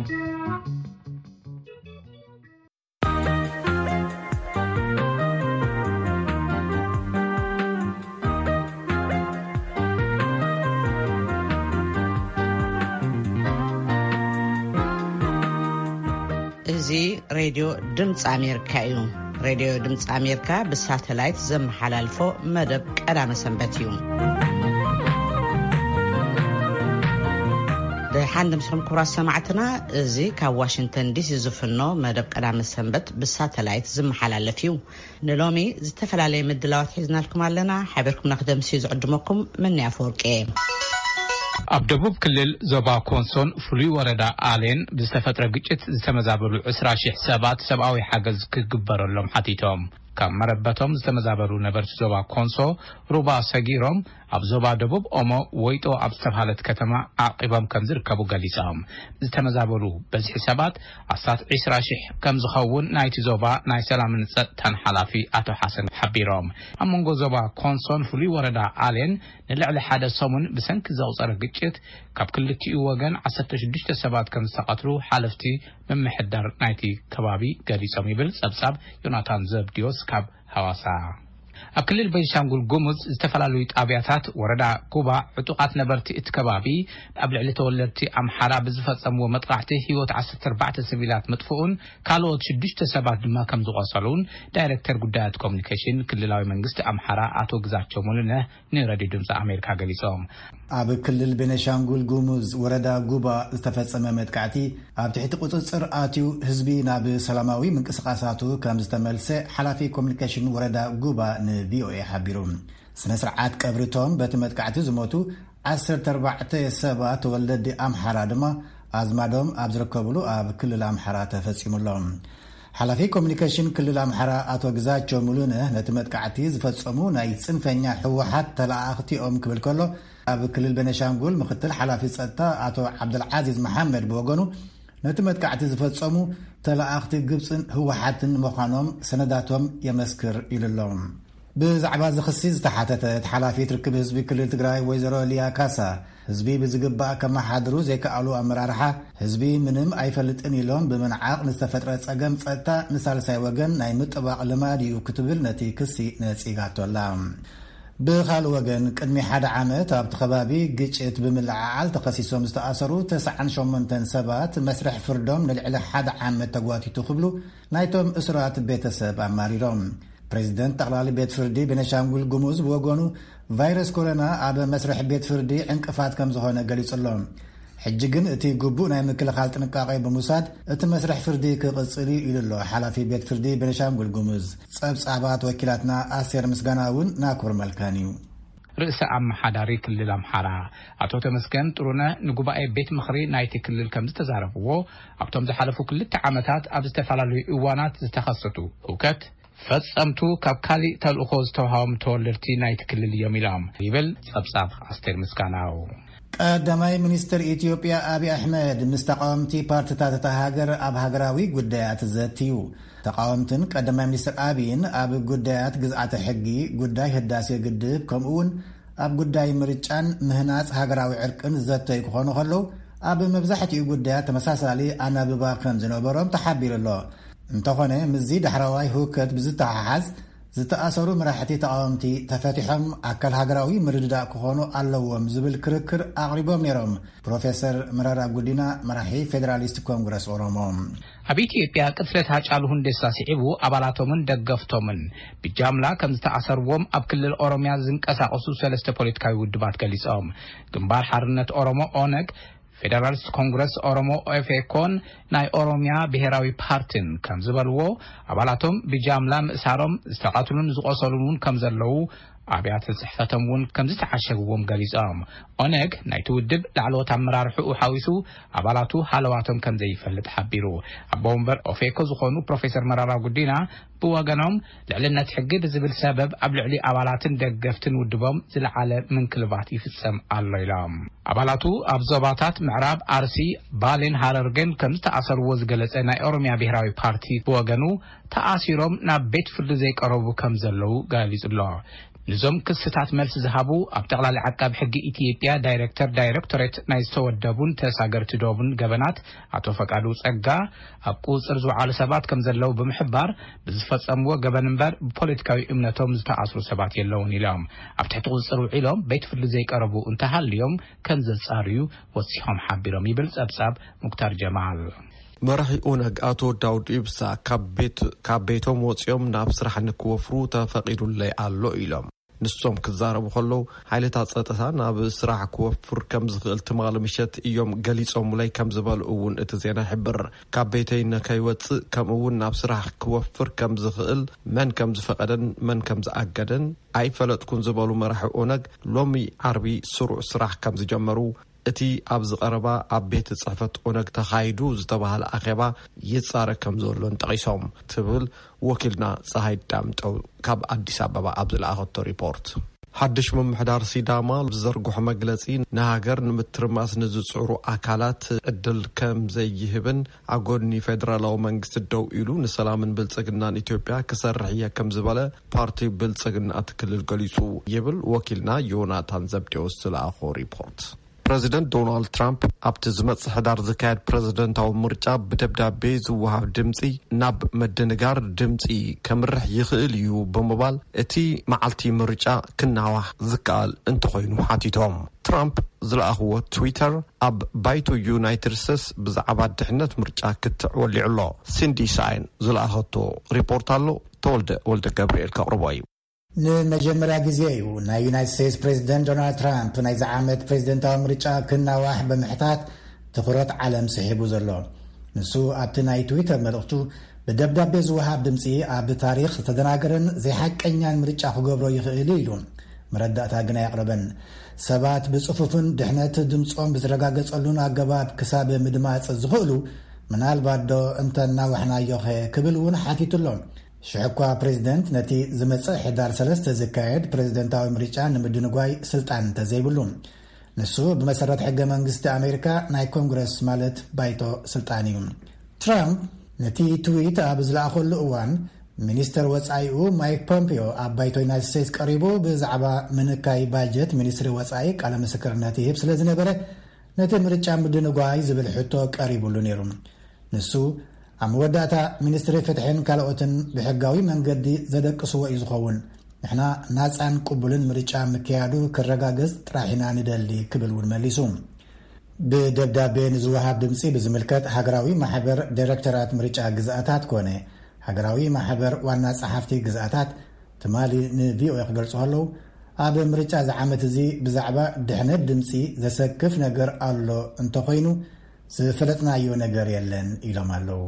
እዚ ሬድዮ ድምፂ ኣሜሪካ እዩ። ሬድዮ ድምፂ ኣሜሪካ ብሳተላይት ዘመሓላልፎ መደብ ቀዳመ ሰንበት እዩ። ደሓን ድምስኹም ክቡራት ሰማዕትና፣ እዚ ካብ ዋሽንግተን ዲሲ ዝፍኖ መደብ ቀዳመ ሰንበት ብሳተላይት ዝመሓላለፍ እዩ። ንሎሚ ዝተፈላለየ ምድላዋት ሒዝናልኩም ኣለና። ሓቢርኩምና ክደምስዩ ዝዕድመኩም መኒ ኣፈወርቂ እየ። ኣብ ደቡብ ክልል ዞባ ኮንሶን ፍሉይ ወረዳ ኣሌን ብዝተፈጥረ ግጭት ዝተመዛበሉ ዕስራ ሺሕ ሰባት ሰብኣዊ ሓገዝ ክግበረሎም ሓቲቶም። ካብ መረበቶም ዝተመዛበሉ ነበርቲ ዞባ ኮንሶ ሩባ ሰጊሮም ኣብ ዞባ ደቡብ ኦሞ ወይጦ ኣብ ዝተባሃለት ከተማ ዓቂቦም ከም ዝርከቡ ገሊጾም። ዝተመዛበሉ በዝሒ ሰባት ኣስታት ዕስራ ሺሕ ከም ዝኸውን ናይቲ ዞባ ናይ ሰላምን ጸጥታን ሓላፊ ኣቶ ሓሰን ሓቢሮም። ኣብ መንጎ ዞባ ኮንሶን ፍሉይ ወረዳ ኣሌን ንልዕሊ ሓደ ሰሙን ብሰንኪ ዘቑጸረ ግጭት ካብ ክልቲኡ ወገን ዓሰርተ ሽዱሽተ ሰባት ከም ዝተቐትሉ ሓለፍቲ ምምሕዳር ናይቲ ከባቢ ገሊጾም ይብል ጸብጻብ ዮናታን ዘብድዮስ ካብ ሃዋሳ። ኣብ ክልል ቤንሻንጉል ጉሙዝ ዝተፈላለዩ ጣብያታት ወረዳ ጉባ ዕጡቓት ነበርቲ እቲ ከባቢ ኣብ ልዕሊ ተወለድቲ ኣምሓራ ብዝፈጸምዎ መጥቃዕቲ ህይወት ዓሰርተ ኣርባዕተ ሲቪላት ምጥፍኡን ካልኦት ሽዱሽተ ሰባት ድማ ከም ዝቖሰሉን ዳይሬክተር ጉዳያት ኮሚኒኬሽን ክልላዊ መንግስቲ ኣምሓራ ኣቶ ግዛቸው ሙሉነህ ንሬድዮ ድምፂ ኣሜሪካ ገሊጾም። ኣብ ክልል ቤነሻንጉል ጉሙዝ ወረዳ ጉባ ዝተፈጸመ መጥቃዕቲ ኣብ ትሕቲ ቁጽጽር ኣትዩ ህዝቢ ናብ ሰላማዊ ምንቅስቓሳቱ ከም ዝተመልሰ ሓላፊ ኮሚኒኬሽን ወረዳ ጉባ ንቪኦኤ ሓቢሩ። ስነ ስርዓት ቀብሪቶም በቲ መጥቃዕቲ ዝሞቱ ዓሰርተ ኣርባዕተ ሰባት ተወለዲ ኣምሓራ ድማ ኣዝማዶም ኣብ ዝርከብሉ ኣብ ክልል ኣምሓራ ተፈጺሙሎም። ሓላፊ ኮሚኒኬሽን ክልል ኣምሓራ ኣቶ ግዛቸው ሙሉነህ ነቲ መጥቃዕቲ ዝፈጸሙ ናይ ጽንፈኛ ህወሓት ተለኣኣኽቲ እዮም ክብል ከሎ፣ ኣብ ክልል ቤነሻንጉል ምክትል ሓላፊ ጸጥታ ኣቶ ዓብደልዓዚዝ መሓመድ ብወገኑ ነቲ መጥቃዕቲ ዝፈጸሙ ተለኣኣኽቲ ግብጽን ህወሓትን ምዃኖም ሰነዳቶም የመስክር ኢሉ ኣሎ። ብዛዕባ እዚ ክሲ ዝተሓተተት ሓላፊት ርክብ ህዝቢ ክልል ትግራይ ወይዘሮ ሊያ ካሳ፣ ህዝቢ ብዝግባእ ከመሓድሩ ዘይከኣሉ ኣመራርሓ፣ ህዝቢ ምንም ኣይፈልጥን ኢሎም ብምንዓቕ ንዝተፈጥረ ጸገም ጸጥታ ንሳልሳይ ወገን ናይ ምጥባቕ ልማድ እዩ ክትብል ነቲ ክሲ ነጺጋቶ ኣላ። ብኻልእ ወገን፣ ቅድሚ ሓደ ዓመት ኣብቲ ከባቢ ግጭት ብምልዕዓል ተኸሲሶም ዝተኣሰሩ ተስዓን ሸሞንተን ሰባት መስርሕ ፍርዶም ንልዕሊ ሓደ ዓመት ተጓቲቱ ክብሉ ናይቶም እሱራት ቤተሰብ ኣማሪሮም። ፕሬዚደንት ጠቕላሊ ቤት ፍርዲ ቤነሻንጉል ጉሙዝ ብወገኑ ቫይረስ ኮሮና ኣብ መስርሕ ቤት ፍርዲ ዕንቅፋት ከም ዝኾነ ገሊጹ ኣሎ። ሕጂ ግን እቲ ግቡእ ናይ ምክልኻል ጥንቃቄ ብምውሳድ እቲ መስርሕ ፍርዲ ክቕጽል እዩ ኢሉ ኣሎ ሓላፊ ቤት ፍርዲ ቤነሻንጉል ጉሙዝ። ጸብጻባት ወኪላትና ኣስቴር ምስጋና እውን ናኩር መልካን እዩ። ርእሰ ኣመሓዳሪ ክልል ኣምሓራ ኣቶ ተመስገን ጥሩነህ ንጉባኤ ቤት ምኽሪ ናይቲ ክልል ከም ዝተዛረብዎ፣ ኣብቶም ዝሓለፉ ክልተ ዓመታት ኣብ ዝተፈላለዩ እዋናት ዝተኸሰቱ ህውከት ፈጸምቱ ካብ ካሊእ ተልእኾ ዝተውሃቦም ተወለድቲ ናይቲ ክልል እዮም ኢሎም ይብል ጸብጻብ ኣስቴር ምስጋናው። ቀዳማይ ሚኒስትር ኢትዮጵያ ኣብይ ኣሕመድ ምስ ተቃወምቲ ፓርቲታት እታ ሃገር ኣብ ሃገራዊ ጉዳያት ዘትዩ። ተቃወምትን ቀዳማይ ሚኒስትር ኣብይን ኣብ ጉዳያት ግዝኣተ ሕጊ፣ ጉዳይ ህዳሴ ግድብ፣ ከምኡ እውን ኣብ ጉዳይ ምርጫን ምህናጽ ሃገራዊ ዕርቅን ዘተዩ ክኾኑ ከለዉ፣ ኣብ መብዛሕትኡ ጉዳያት ተመሳሳሊ ኣናብባ ከም ዝነበሮም ተሓቢሩ ኣሎ። እንተኾነ፣ ምስዚ ዳሕረዋይ ህውከት ብዝተሓሓዝ፣ ዝተኣሰሩ መራሕቲ ተቓወምቲ ተፈቲሖም ኣካል ሃገራዊ ምርድዳእ ክኾኑ ኣለዎም ዝብል ክርክር ኣቕሪቦም ነይሮም። ፕሮፌሰር መረራ ጉዲና፣ መራሒ ፌዴራሊስት ኮንግረስ ኦሮሞ። ኣብ ኢትዮጵያ ቅትለት ሃጫሉ ሁንዴሳ ስዒቡ ኣባላቶምን ደገፍቶምን ብጃምላ ከም ዝተኣሰርዎም ኣብ ክልል ኦሮሚያ ዝንቀሳቐሱ ሰለስተ ፖለቲካዊ ውድባት ገሊጾም። ግንባር ሓርነት ኦሮሞ ኦነግ፣ ፌደራሊስት ኮንግረስ ኦሮሞ ኦፌኮን ናይ ኦሮሚያ ብሔራዊ ፓርቲን ከም ዝበልዎ፣ ኣባላቶም ብጃምላ ምእሳሮም ዝተቐትሉን ዝቖሰሉን እውን ከም ዘለዉ ኣብያተ ጽሕፈቶም እውን ከም ዝተዓሸግዎም ገሊጾም። ኦነግ ናይቲ ውድብ ላዕለዎት ኣመራርሕኡ ሓዊሱ ኣባላቱ ሃለዋቶም ከም ዘይፈልጥ ሓቢሩ። ኣቦ ወንበር ኦፌኮ ዝኾኑ ፕሮፌሰር መራራ ጉዲና ብወገኖም፣ ልዕልነት ሕጊ ብዝብል ሰበብ ኣብ ልዕሊ ኣባላትን ደገፍትን ውድቦም ዝለዓለ ምንክልባት ይፍጸም ኣሎ ኢሎም። ኣባላቱ ኣብ ዞባታት ምዕራብ ኣርሲ፣ ባሌን ሃረርገን ከም ዝተኣሰርዎ ዝገለጸ ናይ ኦሮሚያ ብሔራዊ ፓርቲ ብወገኑ፣ ተኣሲሮም ናብ ቤት ፍርዲ ዘይቀረቡ ከም ዘለዉ ገሊጹ ኣሎ። ንዞም ክስታት መልሲ ዝሃቡ ኣብ ጠቕላሊ ዓቃቢ ሕጊ ኢትዮጵያ ዳይሬክተር ዳይሬክቶሬት ናይ ዝተወደቡን ተሳገርቲ ዶብን ገበናት ኣቶ ፈቃዱ ጸጋ፣ ኣብ ቁጽር ዝወዓሉ ሰባት ከም ዘለዉ ብምሕባር፣ ብዝፈጸምዎ ገበን እምበር ብፖለቲካዊ እምነቶም ዝተኣስሩ ሰባት የለውን ኢሎም። ኣብ ትሕቲ ቁጽር ውዒሎም ቤት ፍርዲ ዘይቀረቡ እንተሃልዮም ከም ዘጻርዩ ወሲኾም ሓቢሮም ይብል ጸብጻብ ሙክታር ጀማል። መራሒ ኦነግ ኣቶ ዳውድ ኢብሳ ካብ ቤት ካብ ቤቶም ወጺኦም ናብ ስራሕ ንክወፍሩ ተፈቒዱለይ ኣሎ ኢሎም። ንሶም ክዛረቡ ከለዉ፣ ሓይልታት ጸጥታ ናብ ስራሕ ክወፍር ከም ዝኽእል ትማሊ ምሸት እዮም ገሊጾምለይ ከም ዝበሉ እውን እቲ ዜና ይሕብር። ካብ ቤተይ ንከይወጽእ፣ ከምኡ እውን ናብ ስራሕ ክወፍር ከም ዝኽእል፣ መን ከም ዝፈቐደን መን ከም ዝኣገደን ኣይፈለጥኩን ዝበሉ መራሒ ኦነግ፣ ሎሚ ዓርቢ ስሩዕ ስራሕ ከም ዝጀመሩ፣ እቲ ኣብዚ ቀረባ ኣብ ቤት ጽሕፈት ኦነግ ተኻይዱ ዝተባህለ ኣኼባ ይጻረ ከም ዘሎን ጠቒሶም፣ ትብል ወኪልና ጸሃይ ዳምጠው ካብ ኣዲስ ኣበባ ኣብ ዝለኣኸቶ ሪፖርት። ሓድሽ ምምሕዳር ሲዳማ ብዝዘርግሖ መግለጺ፣ ንሃገር ንምትርማስ ንዝጽዕሩ ኣካላት ዕድል ከም ዘይህብን፣ ኣብ ጎኒ ፌደራላዊ መንግስቲ ደው ኢሉ ንሰላምን ብልጽግናን ኢትዮጵያ ክሰርሕ እየ ከም ዝበለ ፓርቲ ብልጽግና እቲ ክልል ገሊጹ ይብል ወኪልና ዮናታን ዘብዴዎስ ዝለኣኾ ሪፖርት። ፕረዚደንት ዶናልድ ትራምፕ ኣብቲ ዝመጽእ ሕዳር ዝካየድ ፕረዚደንታዊ ምርጫ ብደብዳቤ ዝወሃብ ድምጺ ናብ ምድንጋር ድምጺ ከምርሕ ይኽእል እዩ ብምባል፣ እቲ መዓልቲ ምርጫ ክናዋሕ ዝከኣል እንተኾይኑ ሓቲቶም። ትራምፕ ዝለኣኽዎ ትዊተር ኣብ ባይቶ ዩናይትድ ስቴትስ ብዛዕባ ድሕነት ምርጫ ክትዕ ወሊዑ ኣሎ። ሲንዲ ሳይን ዝለኣኸቶ ሪፖርት ኣሎ። ተወልደ ወልደ ገብርኤል ከቕርቦ እዩ። ንመጀመርያ ግዜ እዩ ናይ ዩናይትድ ስቴትስ ፕሬዚደንት ዶናልድ ትራምፕ ናይዚ ዓመት ፕሬዚደንታዊ ምርጫ ክናዋሕ ብምሕታት ትኹረት ዓለም ስሒቡ ዘሎ። ንሱ ኣብቲ ናይ ትዊተር መልእኽቱ፣ ብደብዳቤ ዝወሃብ ድምፂ ኣብ ታሪኽ ዝተደናገረን ዘይሓቀኛን ምርጫ ክገብሮ ይኽእል ኢሉ። መረዳእታ ግን ኣየቕረበን። ሰባት ብጽፉፍን ድሕነት ድምጾም ብዝረጋገጸሉን ኣገባብ ክሳብ ምድማጽ ዝኽእሉ፣ ምናልባት ዶ እንተናዋሕናዮኸ ክብል እውን ሓቲቱ ኣሎ። ሽሕ እኳ ፕሬዚደንት ነቲ ዝመጽእ ሕዳር ሰለስተ ዝካየድ ፕሬዚደንታዊ ምርጫ ንምድንጓይ ስልጣን እንተዘይብሉ፣ ንሱ ብመሰረት ሕገ መንግስቲ ኣሜሪካ ናይ ኮንግረስ ማለት ባይቶ ስልጣን እዩ። ትራምፕ ነቲ ትዊት ኣብ ዝለኣኸሉ እዋን፣ ሚኒስተር ወጻኢኡ ማይክ ፖምፒዮ ኣብ ባይቶ ዩናይትድ ስቴትስ ቀሪቡ ብዛዕባ ምንካይ ባጀት ሚኒስትሪ ወጻኢ ቃለ ምስክርነት ይህብ ስለ ዝነበረ፣ ነቲ ምርጫ ምድንጓይ ዝብል ሕቶ ቀሪቡሉ ነይሩ። ንሱ፣ ኣብ መወዳእታ ሚኒስትሪ ፍትሕን ካልኦትን ብሕጋዊ መንገዲ ዘደቅስዎ እዩ ዝኸውን። ንሕና ናጻን ቅቡልን ምርጫ ምክያዱ ክረጋገጽ ጥራሕ ኢና ንደሊ ክብል እውን መሊሱ። ብደብዳቤ ንዝወሃብ ድምጺ ብዝምልከት ሃገራዊ ማሕበር ዳይሬክተራት ምርጫ ግዝኣታት ኮነ ሃገራዊ ማሕበር ዋና ጸሓፍቲ ግዝኣታት ትማሊ ንቪኦኤ ክገልጹ ከለዉ፣ ኣብ ምርጫ ዝዓመት እዚ ብዛዕባ ድሕነት ድምጺ ዘሰክፍ ነገር ኣሎ እንተኾይኑ ዝፈለጥናዮ ነገር የለን ኢሎም ኣለዉ።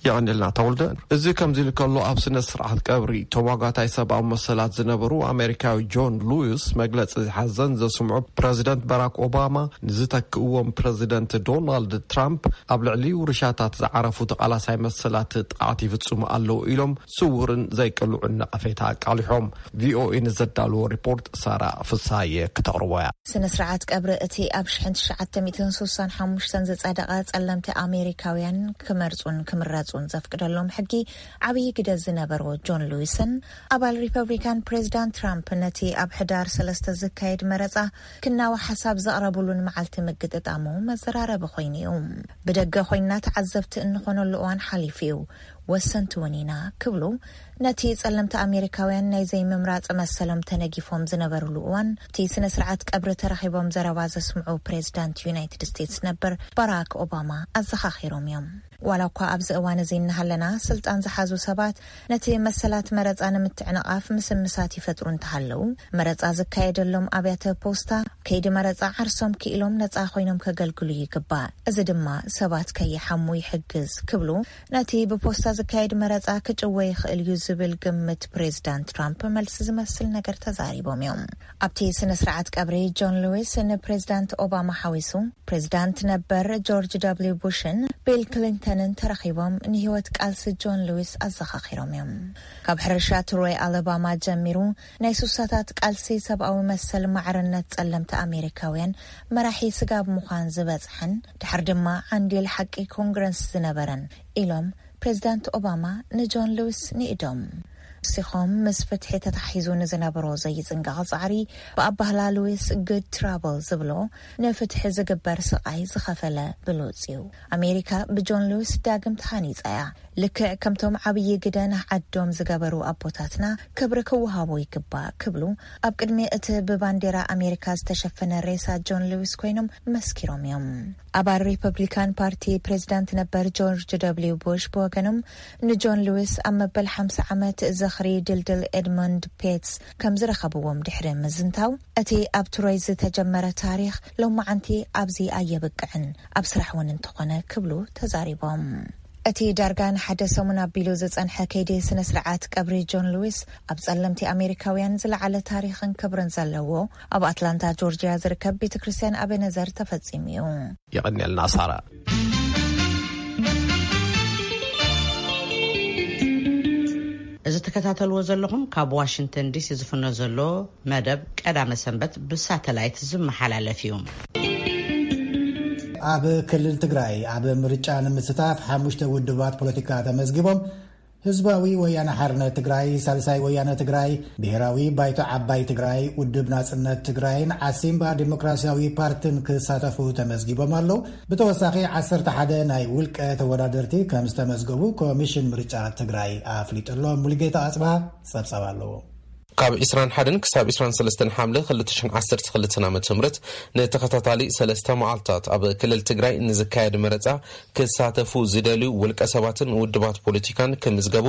የቐንልና ተወልደ። እዚ ከምዚ ኢሉ ከሎ፣ ኣብ ስነ ስርዓት ቀብሪ ተሟጋታይ ሰብኣዊ መሰላት ዝነበሩ ኣሜሪካዊ ጆን ሉዊስ መግለጺ ሓዘን ዘስምዑ ፕረዚደንት ባራክ ኦባማ ንዝተክእዎም ፕረዚደንት ዶናልድ ትራምፕ ኣብ ልዕሊ ውርሻታት ዝዓረፉ ተቓላሳይ መሰላት ጥቕዓት ይፍጽሙ ኣለዉ ኢሎም ስውርን ዘይቅልዑን ነቐፌታ ኣቃሊሖም። ቪኦኤ ንዘዳለዎ ሪፖርት ሳራ ፍሳየ ክተቕርቦ እያ። ስነ ስርዓት ቀብሪ እቲ ኣብ ሽሕን ትሽዓተ ሚእትን ስሳን ሓሙሽተን ዝጸደቐ ጸለምቲ ኣሜሪካውያን ክመርጹን ክምረጹን ዘፍቅደሎም ሕጊ ዓብዪ ግደ ዝነበሮ ጆን ሉዊስን ኣባል ሪፐብሊካን ፕሬዚዳንት ትራምፕ ነቲ ኣብ ሕዳር ሰለስተ ዝካየድ መረጻ ክናዋሕ ሓሳብ ዘቕረቡሉን መዓልቲ ምግጥጣሙ መዘራረቢ ኮይኑ እዩ። ብደገ ኮይንና ተዓዘብቲ እንኾነሉ እዋን ሓሊፉ እዩ፣ ወሰንቲ እውን ኢና ክብሉ ነቲ ጸለምቲ ኣሜሪካውያን ናይ ዘይምምራጽ መሰሎም ተነጊፎም ዝነበሩሉ እዋን፣ እቲ ስነ ስርዓት ቀብሪ ተረኺቦም ዘረባ ዘስምዑ ፕሬዚዳንት ዩናይትድ ስቴትስ ነበር ባራክ ኦባማ ኣዘኻኺሮም እዮም። ዋላ እኳ ኣብዚ እዋን እዚ እናሃለና፣ ስልጣን ዝሓዙ ሰባት ነቲ መሰላት መረጻ ንምትዕንቓፍ ምስምሳት ይፈጥሩ እንተሃለዉ፣ መረጻ ዝካየደሎም ኣብያተ ፖስታ ከይዲ መረጻ ዓርሶም ክኢሎም ነጻ ኮይኖም ከገልግሉ ይግባእ። እዚ ድማ ሰባት ከይሓሙ ይሕግዝ ክብሉ ነቲ ብፖስታ ዝካየድ መረጻ ክጭወ ይኽእል እዩ ዝብል ግምት ፕሬዚዳንት ትራምፕ መልሲ ዝመስል ነገር ተዛሪቦም እዮም። ኣብቲ ስነ ስርዓት ቀብሪ ጆን ሉዊስ ንፕሬዚዳንት ኦባማ ሓዊሱ ፕሬዚዳንት ነበር ጆርጅ ደብሊው ቡሽን ቢል ክሊንተንን ተረኺቦም ንህይወት ቃልሲ ጆን ሉዊስ ኣዘኻኺሮም እዮም። ካብ ሕርሻ ትሮይ ኣለባማ ጀሚሩ ናይ ሱሳታት ቃልሲ ሰብኣዊ መሰል ማዕርነት ጸለምቲ ኣሜሪካውያን መራሒ ስጋብ ምዃን ዝበጽሐን ድሕር ድማ ዓንዲል ሓቂ ኮንግረስ ዝነበረን ኢሎም ፕሬዚዳንት ኦባማ ንጆን ሉዊስ ንኢዶም። ወሲኾም፣ ምስ ፍትሒ ተታሒዙ ንዝነበሮ ዘይጽንቀቕ ጻዕሪ፣ ብኣባህላ ሉዊስ good trouble ዝብሎ፣ ንፍትሒ ዝግበር ስቓይ ዝኸፈለ ብሉጽ እዩ። ኣሜሪካ ብጆን ሉዊስ ዳግም ተሃኒጻ እያ። ልክዕ ከምቶም ዓብዪ ግደ ንዓዶም ዝገበሩ ኣቦታትና ክብሪ ክወሃቦ ይግባእ ክብሉ፣ ኣብ ቅድሚ እቲ ብባንዴራ ኣሜሪካ ዝተሸፈነ ሬሳ ጆን ሉዊስ ኮይኖም መስኪሮም እዮም። ኣባል ሪፐብሊካን ፓርቲ ፕሬዚዳንት ነበር ጆርጅ ደብሊው ቡሽ ብወገኖም፣ ንጆን ሉዊስ ኣብ መበል ሓምሳ ዓመት ዝኽሪ ድልድል ኤድሞንድ ፔትስ ከም ዝረኸብዎም ድሕሪ ምዝንታው፣ እቲ ኣብ ትሮይ ዝተጀመረ ታሪኽ ሎማዓንቲ ኣብዚ ኣየብቅዕን፣ ኣብ ስራሕ እውን እንተኾነ ክብሉ ተዛሪቦም። እቲ ዳርጋ ንሓደ ሰሙን ኣቢሉ ዝጸንሐ ከይዲ ስነ ስርዓት ቀብሪ ጆን ሉዊስ፣ ኣብ ጸለምቲ ኣሜሪካውያን ዝለዓለ ታሪኽን ክብርን ዘለዎ፣ ኣብ ኣትላንታ ጆርጂያ ዝርከብ ቤተ ክርስቲያን ኣቤነዘር ተፈጺሙ እዩ። የቐንየልና ሳራ። እዚ ትከታተልዎ ዘለኹም ካብ ዋሽንግተን ዲሲ ዝፍኖ ዘሎ መደብ ቀዳመ ሰንበት ብሳተላይት ዝመሓላለፍ እዩ። ኣብ ክልል ትግራይ ኣብ ምርጫ ንምስታፍ ሓሙሽተ ውድባት ፖለቲካ ተመዝጊቦም። ህዝባዊ ወያነ ሓርነት ትግራይ፣ ሳልሳይ ወያነ ትግራይ፣ ብሔራዊ ባይቶ ዓባይ ትግራይ፣ ውድብ ናጽነት ትግራይን ዓሲምባ ዲሞክራሲያዊ ፓርቲን ክሳተፉ ተመዝጊቦም ኣለዉ። ብተወሳኺ ዓሰርተ ሓደ ናይ ውልቀ ተወዳደርቲ ከም ዝተመዝገቡ ኮሚሽን ምርጫ ትግራይ ኣፍሊጡ ኣሎ። ሙሉጌታ ኣጽብሃ ጸብጻብ ኣለዎ። ካብ ዕስራን ሓደን ክሳብ ዕስራን ሰለስተን ሓምለ ክልተ ሽሕን ዓሰርተ ክልተን ዓመተ ምህረት ንተኸታታሊ ሰለስተ መዓልታት ኣብ ክልል ትግራይ ንዝካየድ መረጻ ክሳተፉ ዝደልዩ ውልቀ ሰባትን ውድባት ፖለቲካን ክምዝገቡ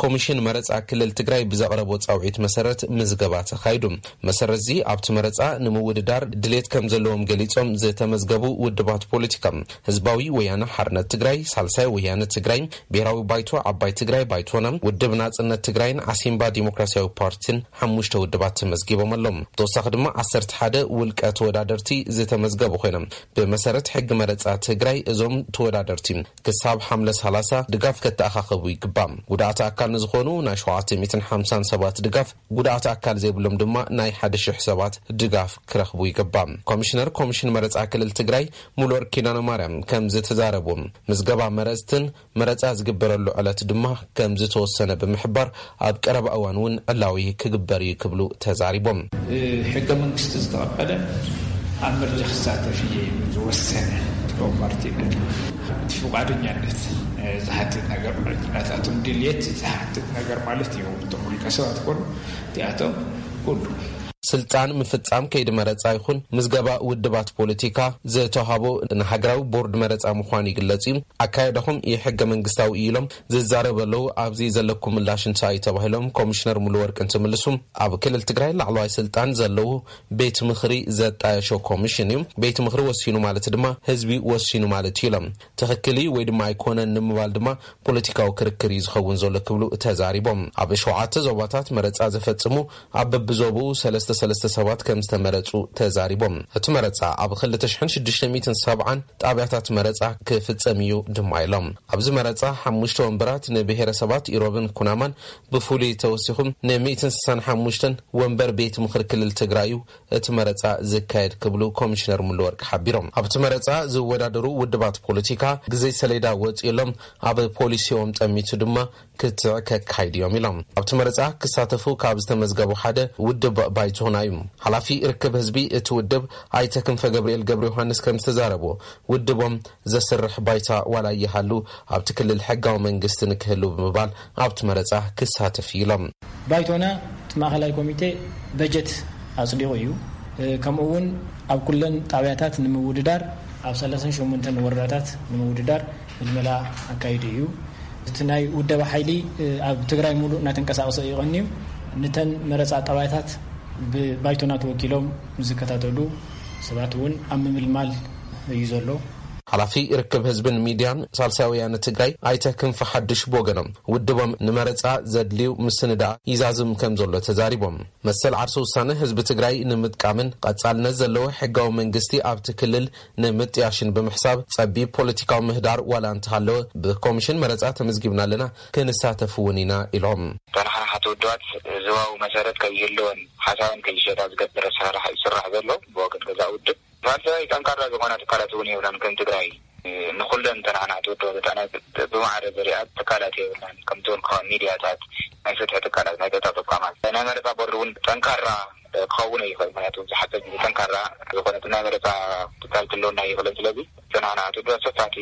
ኮሚሽን መረጻ ክልል ትግራይ ብዘቕረቦ ጻውዒት መሰረት ምዝገባ ተኻይዱ። መሰረት እዚ ኣብቲ መረጻ ንምውድዳር ድሌት ከም ዘለዎም ገሊጾም ዝተመዝገቡ ውድባት ፖለቲካ ህዝባዊ ወያነ ሓርነት ትግራይ፣ ሳልሳይ ወያነ ትግራይ፣ ብሔራዊ ባይቶ ዓባይ ትግራይ ባይቶና፣ ውድብ ናጽነት ትግራይን ዓሲምባ ዲሞክራሲያዊ ፓርቲን ሓሙሽተ ውድባት ተመዝጊቦም ኣለዉ። ብተወሳኺ ድማ ዓሰርተ ሓደ ውልቀ ተወዳደርቲ ዝተመዝገቡ ኮይኖም፣ ብመሰረት ሕጊ መረጻ ትግራይ እዞም ተወዳደርቲ ክሳብ ሓምለ ሰላሳ ድጋፍ ከተኣኻኸቡ ይግባእ። ጉዳኣት ኣካል ንዝኾኑ ናይ ሸውዓተ ሚእትን ሓምሳን ሰባት ድጋፍ፣ ጉዳኣት ኣካል ዘይብሎም ድማ ናይ ሓደ ሽሕ ሰባት ድጋፍ ክረኽቡ ይግባእ። ኮሚሽነር ኮሚሽን መረጻ ክልል ትግራይ ሙሉወርቅ ኪዳነ ማርያም ከም ዝተዛረቡ፣ ምዝገባ መረጽትን መረጻ ዝግበረሉ ዕለት ድማ ከም ዝተወሰነ ብምሕባር፣ ኣብ ቀረባ እዋን እውን ዕላዊ ክግበር እዩ ክብሉ ተዛሪቦም። ሕገ መንግስቲ ዝተቐበለ ኣብ ምርጫ ክሳተፍ እየ ዝወሰነ ፖለቲካዊ ፓርቲ፣ እቲ ፍቃደኛነት ዝሓትት ነገር ማለት፣ ናታቶም ድልየት ዝሓትት ነገር ማለት እዩ። እቶም ውልቀ ሰባት ኮኑ እቲኣቶም ኩሉ ስልጣን ምፍጻም ከይዲ መረጻ ይኹን ምዝገባ ውድባት ፖለቲካ ዝተዋህቦ ንሃገራዊ ቦርድ መረጻ ምዃኑ ይግለጽ እዩ። ኣካየዳኹም የሕገ መንግስታዊ እዩ ኢሎም ዝዛረቡ ኣለዉ። ኣብዚ ዘለኩም ምላሽ እንታይ እዩ ተባሂሎም ኮሚሽነር ሙሉወርቅ እንትምልሱ፣ ኣብ ክልል ትግራይ ላዕለዋይ ስልጣን ዘለዉ ቤት ምኽሪ ዘጣየሾ ኮሚሽን እዩ። ቤት ምኽሪ ወሲኑ ማለት ድማ ህዝቢ ወሲኑ ማለት እዩ ኢሎም። ትኽክል እዩ ወይ ድማ ኣይኮነን ንምባል ድማ ፖለቲካዊ ክርክር እዩ ዝኸውን ዘሎ ክብሉ ተዛሪቦም። ኣብ ሸውዓተ ዞባታት መረጻ ዘፈጽሙ ኣብ በብዞብኡ ሰለስተ ሰለስተ ሰባት ከም ዝተመረጹ ተዛሪቦም። እቲ መረጻ ኣብ ክልተ ሽሕን ሽዱሽተ ሚእትን ሰብዓን ጣብያታት መረጻ ክፍጸም እዩ ድማ ኢሎም። ኣብዚ መረጻ ሓሙሽተ ወንበራት ንብሔረሰባት ኢሮብን ኩናማን ብፍሉይ ተወሲኹም ን ሚእትን ስሳን ሓሙሽተን ወንበር ቤት ምኽሪ ክልል ትግራይ እዩ እቲ መረጻ ዝካየድ ክብሉ ኮሚሽነር ሙሉወርቅ ሓቢሮም። ኣብቲ መረጻ ዝወዳደሩ ውድባት ፖለቲካ ግዜ ሰሌዳ ወጺኡሎም ኣብ ፖሊሲኦም ጠሚቱ ድማ ክትዕ ከካይዱ እዮም ኢሎም። ኣብቲ መረጻ ክሳተፉ ካብ ዝተመዝገቡ ሓደ ውድብ ባይቶና እዩ። ሓላፊ ርክብ ህዝቢ እቲ ውድብ ኣይተ ክንፈ ገብርኤል ገብረ ዮሃንስ ከም ዝተዛረቡ፣ ውድቦም ዘስርሕ ባይታ ዋላ ይሃሉ ኣብቲ ክልል ሕጋዊ መንግስቲ ንክህሉ ብምባል ኣብቲ መረጻ ክሳተፍ እዩ ኢሎም። ባይቶና እቲ ማእኸላይ ኮሚቴ በጀት ኣጽዲቑ እዩ። ከምኡ እውን ኣብ ኩለን ጣብያታት ንምውድዳር፣ ኣብ ሰላሳን ሸሞንተን ወረዳታት ንምውድዳር ምልመላ ኣካይዱ እዩ። እቲ ናይ ውደባ ሓይሊ ኣብ ትግራይ ሙሉእ እናተንቀሳቐሰ እዩ ቀንዩ። ንተን መረፃ ጣብያታት ብባይቶና ተወኪሎም ዝከታተሉ ሰባት እውን ኣብ ምምልማል እዩ ዘሎ። ሓላፊ ርክብ ህዝብን ሚድያን ሳልሳይ ወያነ ትግራይ ኣይተ ክንፈ ሓዱሽ ብወገኖም፣ ውድቦም ንመረፃ ዘድልዩ ምስንዳእ ይዛዝም ከም ዘሎ ተዛሪቦም። መሰል ዓርሰ ውሳነ ህዝቢ ትግራይ ንምጥቃምን ቀፃልነት ዘለዎ ሕጋዊ መንግስቲ ኣብቲ ክልል ንምጥያሽን ብምሕሳብ፣ ፀቢብ ፖለቲካዊ ምህዳር ዋላ እንተሃለወ፣ ብኮሚሽን መረፃ ተመዝጊብና ኣለና፣ ክንሳተፍ እውን ኢና ኢሎም። ተናሓናሓቲ ውድባት ዞባዊ መሰረት ከይህልወን ሓሳበን ከይሸጣ ዝገብር ኣሰራርሓ እዩ ዝስራሕ ዘሎ። ብወገን ገዛእ ውድብ ሳልሳይ ጠንካራ ዝኾና ትካላት እውን የብላን። ከም ትግራይ ንኹለን ተናናዕቲ ውድባት ብጣዕሚ ብማዕረ ዝሪኣ ትካላት የብልናን። ከምቲ ዝበልኩኻ፣ ሚድያታት፣ ናይ ፍትሒ ትካላት፣ ናይ ጸጥታ ተቋማት፣ ናይ መረጻ ቦርድ እውን ጠንካራ ክኸውን እዩ ይኽእል። ምክንያቱ ዝሓፀ ግዜ ጠንካራ ዝኾነ ናይ መረፃ ትካል ክህልወና ይኽእልን። ስለዚ ተናናዕቲ ውድባት ሰፋሕቲ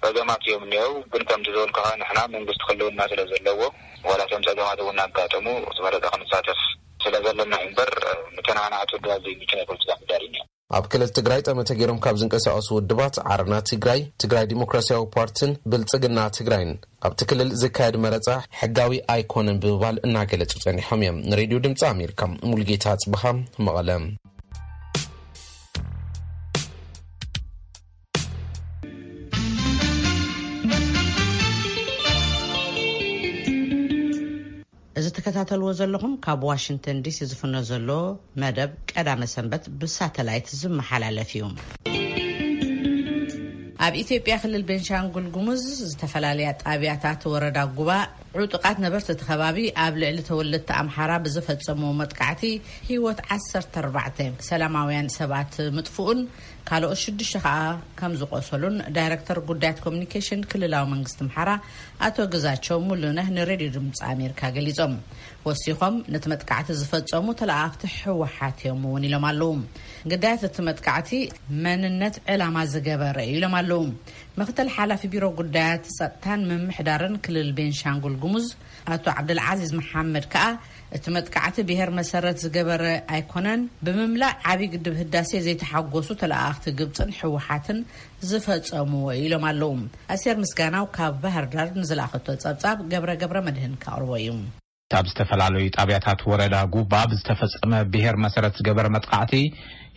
ጸገማት እዮም እኒአው። ግን ከምቲ ዝበልኩኻ፣ ንሕና መንግስቲ ክህልውና ስለ ዘለዎ፣ ዋላ እቶም ጸገማት እውን እናጋጠሙ እቲ መረፃ ክንሳተፍ ስለ ዘለና እዩ እምበር፣ ንተናናዕቲ ውድባት ዘይምቹ ናይ ፖለቲካ ምህዳር እዩ እኒኦ። ኣብ ክልል ትግራይ ጠመተ ገይሮም ካብ ዝንቀሳቐሱ ውድባት ዓረና ትግራይ፣ ትግራይ ዲሞክራሲያዊ ፓርቲን ብልጽግና ትግራይን ኣብቲ ክልል ዝካየድ መረጻ ሕጋዊ ኣይኮነን ብምባል እናገለጹ ጸኒሖም እዮም። ንሬድዮ ድምጺ ኣሜሪካ ሙሉጌታ ኣጽብሃ፣ መቐለ። እዚ ትከታተልዎ ዘለኹም ካብ ዋሽንግተን ዲሲ ዝፍኖ ዘሎ መደብ ቀዳመ ሰንበት ብሳተላይት ዝመሓላለፍ እዩ። ኣብ ኢትዮጵያ ክልል ቤንሻንጉል ጉሙዝ ዝተፈላለያ ጣብያታት ወረዳ ጉባ ዕጡቓት ነበርቲ እቲ ከባቢ ኣብ ልዕሊ ተወለድቲ ኣምሓራ ብዝፈጸምዎ መጥቃዕቲ ህይወት ዓሰርተ ኣርባዕተ ሰላማውያን ሰባት ምጥፍኡን ካልኦት ሽዱሽተ ከኣ ከም ዝቆሰሉን ዳይረክተር ጉዳያት ኮሚኒኬሽን ክልላዊ መንግስቲ ኣምሓራ ኣቶ ግዛቸው ሙሉነህ ንሬድዮ ድምፂ ኣሜሪካ ገሊጾም። ወሲኾም ነቲ መጥቃዕቲ ዝፈጸሙ ተለኣኣኽቲ ህወሓት እዮም እውን ኢሎም ኣለዉ። ግዳያት እቲ መጥቃዕቲ መንነት ዕላማ ዝገበረ እዩ ኢሎም ኣለዉ። ምክትል ሓላፊ ቢሮ ጉዳያት ጸጥታን ምምሕዳርን ክልል ቤንሻንጉል ጉሙዝ ኣቶ ዓብደልዓዚዝ መሓመድ ከኣ እቲ መጥቃዕቲ ብሄር መሰረት ዝገበረ ኣይኮነን፣ ብምምላእ ዓብዪ ግድብ ህዳሴ ዘይተሓጎሱ ተለኣኣኽቲ ግብፅን ህወሓትን ዝፈጸምዎ ኢሎም ኣለዉ። ኣስቴር ምስጋናው ካብ ባህር ዳር ንዝለኣኸቶ ጸብጻብ ገብረ ገብረ መድህን ከቕርቦ እዩ። ኣብ ዝተፈላለዩ ጣብያታት ወረዳ ጉባ ብዝተፈጸመ ብሄር መሰረት ዝገበረ መጥቃዕቲ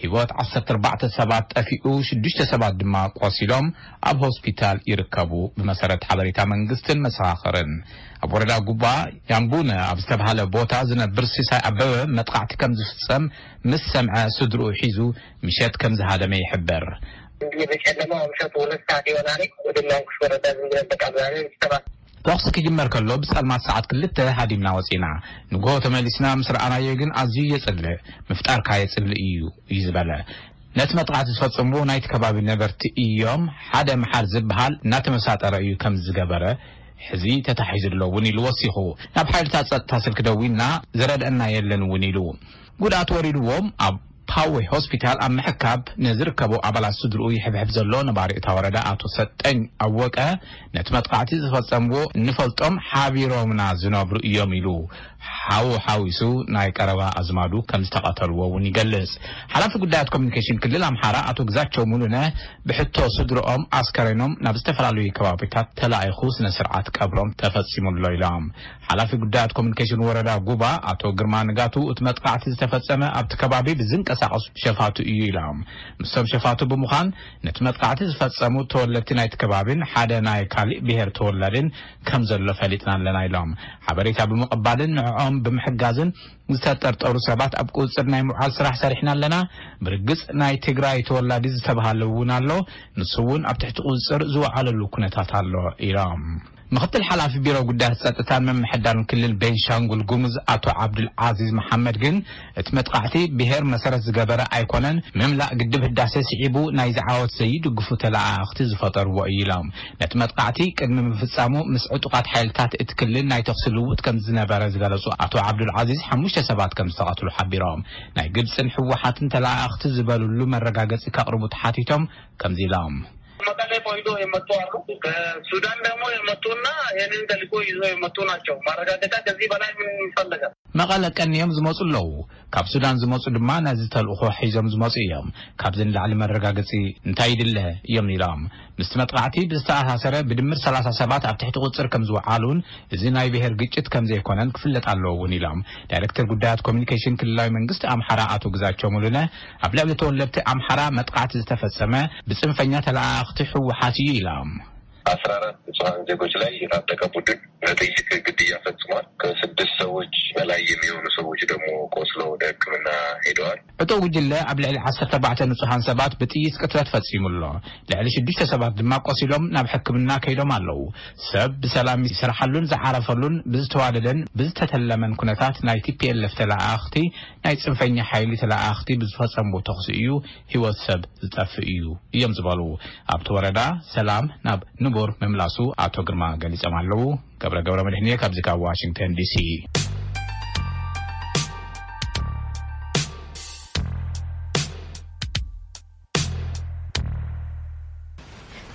ህይወት ዓሰርተ ኣርባዕተ ሰባት ጠፊኡ፣ ሽዱሽተ ሰባት ድማ ቆሲሎም ኣብ ሆስፒታል ይርከቡ። ብመሰረት ሓበሬታ መንግስትን መሰኻኽርን፣ ኣብ ወረዳ ጉባ ያምቡነ ኣብ ዝተባሃለ ቦታ ዝነብር ሲሳይ ኣበበ መጥቃዕቲ ከም ዝፍጸም ምስ ሰምዐ ስድርኡ ሒዙ ምሸት ከም ዝሃደመ ይሕበር። እንዲህ በጨለማ ምሸት ሁለት ሰዓት ይሆናል። ወደ ማንኩሽ ወረዳ ዝም ብለን በቃ ምናምን ሰባት ተኹሲ ክጅመር ከሎ ብጸልማት ሰዓት ክልተ ሃዲምና ወጺና። ንግሆ ተመሊስና ምስ ረኣናዮ ግን ኣዝዩ የጽልእ፣ ምፍጣርካ የጽልእ እዩ እዩ ዝበለ። ነቲ መጥቃዕቲ ዝፈጸምዎ ናይቲ ከባቢ ነበርቲ እዮም። ሓደ መሓር ዝበሃል እናተመሳጠረ እዩ ከም ዝገበረ ሕዚ ተታሒዙ ኣሎ እውን ኢሉ ወሲኹ። ናብ ሓይልታት ጸጥታ ስልኪ ደዊልና ዝረድአና የለን እውን ኢሉ። ጉድኣት ወሪድዎም ኣብ ፓዌ ሆስፒታል ኣብ ምሕካብ ንዝርከቡ ኣባላት ስድርኡ ይሕብሕብ ዘሎ ነባሪ እታ ወረዳ ኣቶ ሰጠኝ ኣወቀ፣ ነቲ መጥቃዕቲ ዝፈጸምዎ እንፈልጦም ሓቢሮምና ዝነብሩ እዮም ኢሉ። ሓው ሓዊሱ ናይ ቀረባ ኣዝማዱ ከም ዝተቐተልዎ እውን ይገልጽ። ሓላፊ ጉዳያት ኮሚኒኬሽን ክልል ኣምሓራ ኣቶ ግዛቸው ሙሉነ ብሕቶ ስድርኦም ኣስከሬኖም ናብ ዝተፈላለዩ ከባቢታት ተላኢኹ ስነ ስርዓት ቀብሮም ተፈጺሙ ኣሎ ኢሎም። ሓላፊ ጉዳያት ኮሚኒኬሽን ወረዳ ጉባ ኣቶ ግርማ ንጋቱ፣ እቲ መጥቃዕቲ ዝተፈጸመ ኣብቲ ከባቢ ብዝንቀሳቐሱ ሸፋቱ እዩ ኢሎም። ምስቶም ሸፋቱ ብምዃን ነቲ መጥቃዕቲ ዝፈጸሙ ተወለድቲ ናይቲ ከባቢን ሓደ ናይ ካሊእ ብሄር ተወላድን ከም ዘሎ ፈሊጥና ኣለና ኢሎም። ሓበሬታ ብምቕባልን ንዕኦም ብምሕጋዝን ዝተጠርጠሩ ሰባት ኣብ ቁጽጽር ናይ ምውዓል ስራሕ ሰሪሕና ኣለና። ብርግጽ ናይ ትግራይ ተወላዲ ዝተባሃለ እውን ኣሎ። ንሱ እውን ኣብ ትሕቲ ቁጽጽር ዝወዓለሉ ኩነታት ኣሎ ኢሎም። ምክትል ሓላፊ ቢሮ ጉዳያት ጸጥታን ምምሕዳርን ክልል ቤንሻንጉል ጉሙዝ ኣቶ ዓብዱል ዓዚዝ መሓመድ ግን እቲ መጥቃዕቲ ብሄር መሰረት ዝገበረ ኣይኮነን፣ ምምላእ ግድብ ህዳሴ ስዒቡ ናይዚ ዓወት ዘይድግፉ ተለኣኣኽቲ ዝፈጠርዎ እዩ ኢሎም። ነቲ መጥቃዕቲ ቅድሚ ምፍጻሙ ምስ ዕጡቓት ሓይልታት እቲ ክልል ናይ ተኹሲ ልውውጥ ከም ዝነበረ ዝገለጹ ኣቶ ዓብዱል ዓዚዝ፣ ሓሙሽተ ሰባት ከም ዝተቐትሉ ሓቢሮም። ናይ ግብጽን ህወሓትን ተለኣኣኽቲ ዝበሉሉ መረጋገጺ ከቕርቡ ተሓቲቶም ከምዚ ኢሎም። መቀሌ ቆይቶ የመጡ አሉ። ከሱዳን ደግሞ የመጡና ይህንን ተልእኮ ይዞ የመጡ ናቸው። ማረጋገጫ ከዚህ በላይ ምን ይፈለጋል? መቐለ ቀንዮም ዝመጹ ኣለዉ። ካብ ሱዳን ዝመጹ ድማ ነዚ ተልእኾ ሒዞም ዝመጹ እዮም። ካብዚ ንላዕሊ መረጋገጺ እንታይ ይድለ እዮም ኢሎም። ምስቲ መጥቃዕቲ ብዝተኣሳሰረ ብድምር ሰላሳ ሰባት ኣብ ትሕቲ ቁጽር ከም ዝወዓሉን እዚ ናይ ብሔር ግጭት ከም ዘይኮነን ክፍለጥ ኣለዎ እውን ኢሎም። ዳይሬክተር ጉዳያት ኮሚኒኬሽን ክልላዊ መንግስቲ ኣምሓራ ኣቶ ግዛቸው ሙሉነ ኣብ ልዕሊ ተወለድቲ ኣምሓራ መጥቃዕቲ ዝተፈጸመ ብጽንፈኛ ተለኣኣኽቲ ህወሓት እዩ ኢሎም። አስራ አራት ንጹሐን ዜጎች ላይ የታጠቀ ቡድን በጥይት ግድያ ፈጽሟል። ከስድስት ሰዎች በላይ የሚሆኑ ሰዎች ደግሞ ቆስለው ወደ ሕክምና ሄደዋል። ዕጡቕ ጉጅለ ኣብ ልዕሊ ዓሰርተ ኣርባዕተ ንጹሓን ሰባት ብጥይት ቅትለት ፈጺሙ ኣሎ። ልዕሊ ሽዱሽተ ሰባት ድማ ቆሲሎም ናብ ሕክምና ከይዶም ኣለዉ። ሰብ ብሰላም ዝሰርሓሉን ዝዓረፈሉን ብዝተዋደደን ብዝተተለመን ኩነታት ናይ ቲ ፒ ኤል ኤፍ ተለኣኣኽቲ ናይ ጽንፈኛ ሓይሊ ተለኣኣኽቲ ብዝፈጸምዎ ተኹሲ እዩ ህይወት ሰብ ዝጠፍእ እዩ እዮም ዝበሉ ኣብቲ ወረዳ ሰላም ናብ ንቡር ምምላሱ ኣቶ ግርማ ገሊጾም ኣለዉ። ገብረ ገብረ መድህንየ ካብዚ ካብ ዋሽንግተን ዲሲ።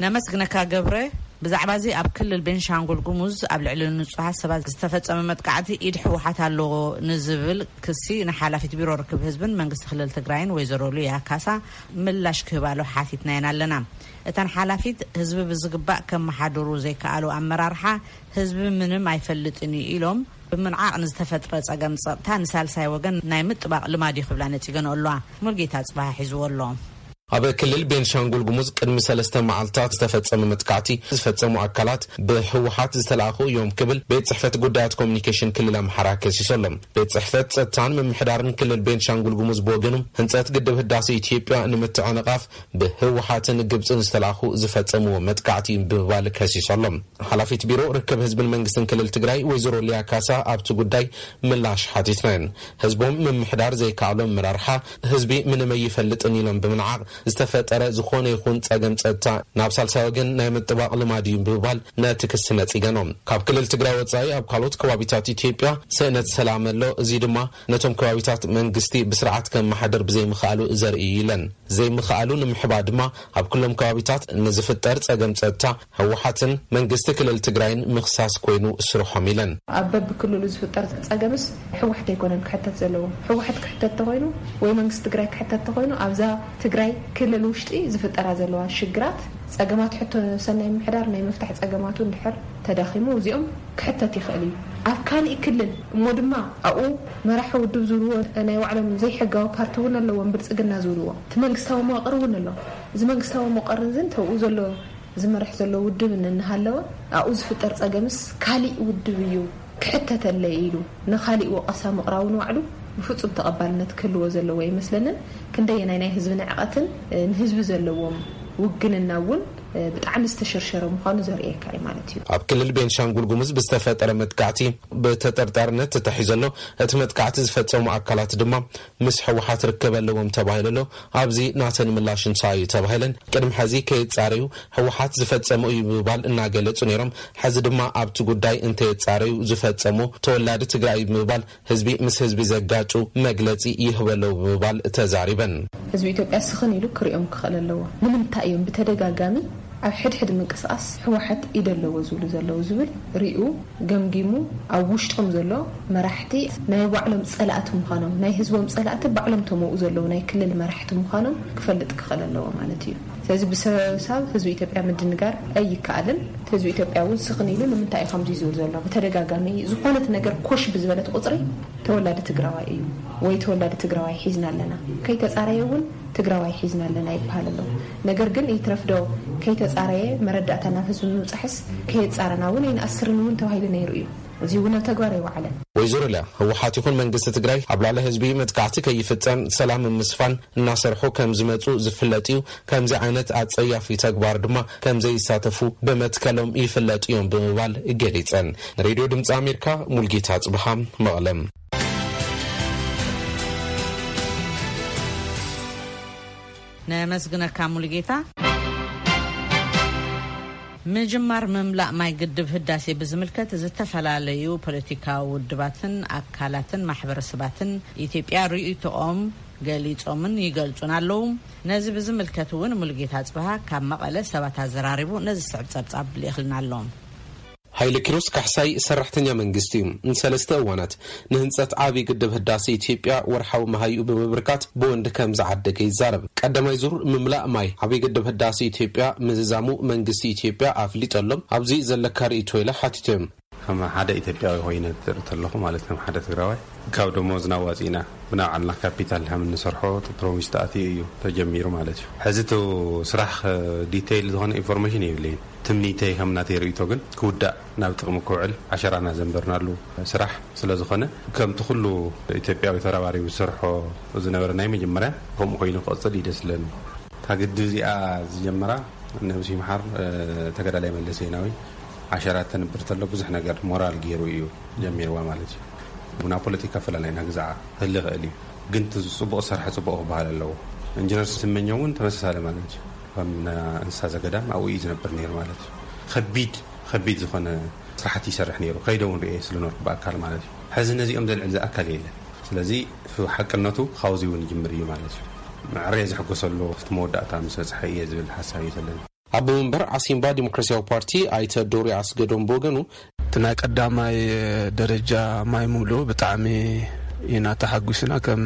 ነመስግነካ ገብረ። ብዛዕባ እዚ ኣብ ክልል ቤንሻንጉል ጉሙዝ ኣብ ልዕሊ ንጹሃት ሰባት ዝተፈጸመ መጥቃዕቲ ኢድ ህወሓት ኣለዎ ንዝብል ክሲ ንሓላፊት ቢሮ ርክብ ህዝብን መንግስቲ ክልል ትግራይን ወይዘሮ ሉያ ካሳ ምላሽ ክህባሉ ሓቲትናየን ኣለና። እተን ሓላፊት ህዝቢ ብዝግባእ ከመሓድሩ ዘይከኣሉ ኣመራርሓ ህዝቢ ምንም ኣይፈልጥን እዩ ኢሎም ብምንዓቕ ንዝተፈጥረ ጸገም ጸጥታ ንሳልሳይ ወገን ናይ ምጥባቕ ልማድ እዩ ክብላ ነጺገን ኣለዋ። ሙልጌታ ጽባህ ሒዝዎ ኣሎ። ኣብ ክልል ቤንሻንጉል ጉሙዝ ቅድሚ ሰለስተ መዓልታት ዝተፈጸመ መጥቃዕቲ ዝፈጸሙ ኣካላት ብህወሓት ዝተላእኹ እዮም ክብል ቤት ጽሕፈት ጉዳያት ኮሚኒኬሽን ክልል ኣምሓራ ከሲሱ ኣሎ። ቤት ጽሕፈት ጸጥታን ምምሕዳርን ክልል ቤንሻንጉል ጉሙዝ ብወገኑ ህንጸት ግድብ ህዳሴ ኢትዮጵያ ንምትዕንቓፍ ብህወሓትን ግብጽን ዝተላእኹ ዝፈጸምዎ መጥቃዕቲ ብምባል ከሲሱ ኣሎ። ሓላፊት ቢሮ ርክብ ህዝብን መንግስትን ክልል ትግራይ ወይዘሮ ሊያ ካሳ ኣብቲ ጉዳይ ምላሽ ሓቲትናየን። ህዝቦም ምምሕዳር ዘይከኣሎም መራርሓ ህዝቢ ምንም ኣይፈልጥን ኢሎም ብምንዓቕ ዝተፈጠረ ዝኾነ ይኹን ጸገም ጸጥታ ናብ ሳልሳይ ወገን ናይ ምጥባቕ ልማድ እዩ ብምባል ነቲ ክሲ ነጺገኖ። ካብ ክልል ትግራይ ወጻኢ ኣብ ካልኦት ከባቢታት ኢትዮጵያ ስእነት ሰላም ኣሎ። እዚ ድማ ነቶም ከባቢታት መንግስቲ ብስርዓት ከመሓደር ብዘይምኽኣሉ ዘርኢ እዩ ኢለን። ዘይምኽኣሉ ንምሕባ ድማ ኣብ ኩሎም ከባቢታት ንዝፍጠር ጸገም ጸጥታ ህወሓትን መንግስቲ ክልል ትግራይን ምኽሳስ ኮይኑ ስርሖም ኢለን። ኣብ በብክልሉ ዝፍጠር ጸገምስ ህወሓት ኣይኮነን ክሕተት ዘለዎ። ህወሓት ክሕተት ተኾይኑ ወይ መንግስቲ ትግራይ ክሕተት ተኾይኑ ኣብዛ ትግራይ ክልል ውሽጢ ዝፍጠራ ዘለዋ ሽግራት ጸገማት ሕቶ ሰናይ ምሕዳር ናይ ምፍታሕ ጸገማቱ እንድሕር ተዳኺሙ እዚኦም ክሕተት ይኽእል እዩ። ኣብ ካሊእ ክልል እሞ ድማ ኣብኡ መራሒ ውድብ ዝብልዎ ናይ ባዕሎም ዘይሕጋዊ ፓርቲ እውን ኣለዎም ብልጽግና ዝብልዎ እቲ መንግስታዊ መዋቕር እውን ኣሎ። እዚ መንግስታዊ መዋቕር እዚ እንተብኡ ዘሎ ዝመርሕ ዘሎ ውድብ እንሃለወ ኣብኡ ዝፍጠር ጸገምስ ካሊእ ውድብ እዩ ክሕተተለይ ኢሉ ንኻሊእ ወቐሳ ምቕራቡ ንባዕሉ ብፍጹም ተቐባልነት ክህልዎ ዘለዎ ኣይመስለንን። ክንደየናይ ናይ ህዝቢ ንዕቐትን ንህዝቢ ዘለዎም ውግንና እውን ብጣዕሚ ዝተሸርሸረ ምዃኑ ዘርእየካ እዩ ማለት እዩ። ኣብ ክልል ቤንሻንጉል ጉሙዝ ብዝተፈጠረ መጥቃዕቲ ብተጠርጣርነት ተታሒዙ ኣሎ። እቲ መጥቃዕቲ ዝፈጸሙ ኣካላት ድማ ምስ ህወሓት ርክብ ኣለዎም ተባሂሉ ኣሎ። ኣብዚ ናተን ምላሽ እንታይ እዩ ተባሂለን ቅድሚ ሕዚ ከይጻረዩ ህወሓት ዝፈጸሞ እዩ ብምባል እናገለጹ ነይሮም። ሕዚ ድማ ኣብቲ ጉዳይ እንተየጻረዩ ዝፈጸሞ ተወላዲ ትግራይ ብምባል ህዝቢ ምስ ህዝቢ ዘጋጩ መግለጺ ይህቡ ኣለዉ ብምባል ተዛሪበን። ህዝቢ ኢትዮጵያ ስኽን ኢሉ ክሪኦም ክኽእል ኣለዎ። ንምንታይ እዮም ብተደጋጋሚ ኣብ ሕድሕድ ምንቅስቃስ ህወሓት ኢድ ኣለዎ ዝብሉ ዘለዉ ዝብል ሪኡ ገምጊሙ ኣብ ውሽጦም ዘሎ መራሕቲ ናይ ባዕሎም ፀላእቲ ምዃኖም ናይ ህዝቦም ፀላእቲ ባዕሎም ተመኡ ዘለዉ ናይ ክልል መራሕቲ ምዃኖም ክፈልጥ ክኽእል ኣለዎ ማለት እዩ። ስለዚ ብሰበብ ህዝቢ ኢትዮጵያ ምድንጋር ኣይከኣልን። ህዝቢ ኢትዮጵያ እውን ስኽን ኢሉ ንምንታይ እዩ ከምዚ ዝብል ዘሎ ብተደጋጋሚ ዝኾነት ነገር ኮሽ ብዝበለት ቁፅሪ ተወላዲ ትግራዋይ እዩ ወይ ተወላዲ ትግራዋይ ሒዝና ኣለና ከይተፃረየ እውን ትግራዋይ ሒዝና ኣለና ይበሃል ኣሎ። ነገር ግን ይትረፍዶ ከይተፃረየ መረዳእታ ናብ ህዝቢ ምብፃሕስ ከየፃረና እውን ኣይንኣስርን እውን ተባሂሉ ነይሩ እዩ። እዚ እውን ኣብ ተግባር ኣይወዓለን። ወይዘሮ ሊያ ህወሓት ይኹን መንግስቲ ትግራይ ኣብ ልዕሊ ህዝቢ መጥቃዕቲ ከይፍፀም ሰላም ንምስፋን እናሰርሑ ከም ዝመፁ ዝፍለጥ እዩ። ከምዚ ዓይነት ኣፀያፊ ተግባር ድማ ከም ዘይሳተፉ ብመትከሎም ይፍለጡ እዮም ብምባል ገሊፀን። ንሬድዮ ድምፂ ኣሜሪካ ሙልጌታ ፅብሃ መቐለም። ነመስግነካ ሙሉጌታ። ምጅማር ምምላእ ማይ ግድብ ህዳሴ ብዝምልከት ዝተፈላለዩ ፖለቲካዊ ውድባትን ኣካላትን ማሕበረሰባትን ኢትዮጵያ ርእይቶኦም ገሊጾምን ይገልጹን ኣለዉ። ነዚ ብዝምልከት እውን ሙሉጌታ ጽብሃ ካብ መቐለ ሰባት ኣዘራሪቡ ነዚ ዝስዕብ ጸብጻብ ልኢኽልና ኣሎ። ሃይለ ኪሮስ ካሕሳይ ሰራሕተኛ መንግስቲ እዩ። ንሰለስተ እዋናት ንህንጸት ዓቢ ግድብ ህዳሴ ኢትዮጵያ ወርሓዊ መሃይኡ ብምብርካት ብወንድ ከም ዝዓደገ ይዛረብ። ቀዳማይ ዙር ምምላእ ማይ ዓቢ ግድብ ህዳሴ ኢትዮጵያ ምዝዛሙ መንግስቲ ኢትዮጵያ ኣፍሊጡ ኣሎ። ኣብዚ ዘለካ ርእይቶ ኢለ ሓቲተዮም። ከም ሓደ ኢትዮጵያዊ ኮይነ ዝርኢ ተለኹ ማለት ከም ሓደ ትግራዋይ ካብ ደሞዝና ኣዋፂእና ብናይ ባዕልና ካፒታል ከም እንሰርሖ እቲ ፕሮሚስ ተኣትዩ እዩ ተጀሚሩ ማለት እዩ። ሕዚ እቲ ስራሕ ዲቴይል ዝኾነ ኢንፎርሜሽን የብለይን። ትምኒተይ ከም ናተይ ርእይቶ ግን ክውዳእ ናብ ጥቕሚ ክውዕል ዓሸራና ዘንበርናሉ ስራሕ ስለ ዝኾነ፣ ከምቲ ኩሉ ኢትዮጵያዊ ተራባሪቡ ዝሰርሖ ዝነበረ ናይ መጀመርያ ከምኡ ኮይኑ ክቕጽል እዩ ደስ ዝብለኒ። እታ ግድብ እዚኣ ዝጀመራ ነብሲ ይምሓር ተጋዳላይ መለስ ዜናዊ ዓሸራ ተንብር ተሎ ብዙሕ ነገር ሞራል ገይሩ እዩ ጀሚርዋ ማለት እዩ። ብና ፖለቲካ ፈላላይና ግዛዓ ህሊ ይኽእል እዩ፣ ግን እቲ ጽቡቕ ዝሰርሐ ጽቡቕ ክበሃል ኣለዎ። ኢንጂነር ስመኛው እውን ተመሳሳሊ ማለት እዩ። ከም እንስሳ ዘገዳም ኣብኡ እዩ ዝነብር ነይሩ ማለት እዩ። ከቢድ ከቢድ ዝኾነ ስራሕቲ ይሰርሕ ነይሩ። ከይደ እውን ርእየ ስለነበርኩ ብኣካል ማለት እዩ። ሕዚ ነዚኦም ዘልዕል ዝኣካል የለን። ስለዚ ሓቅነቱ ካብዚ እውን ይጅምር እዩ ማለት እዩ። መዕረየ ዝሕጎሰሉ እቲ መወዳእታ ምስ በፅሐ እየ ዝብል ሓሳብ እዩ ዘለኒ። ኣቦ መንበር ዓሲምባ ዲሞክራሲያዊ ፓርቲ ኣይተ ዶሪ ኣስገዶም ብወገኑ፣ እቲ ናይ ቀዳማይ ደረጃ ማይ ምሉእ ብጣዕሚ ኢና ተሓጒስና ከም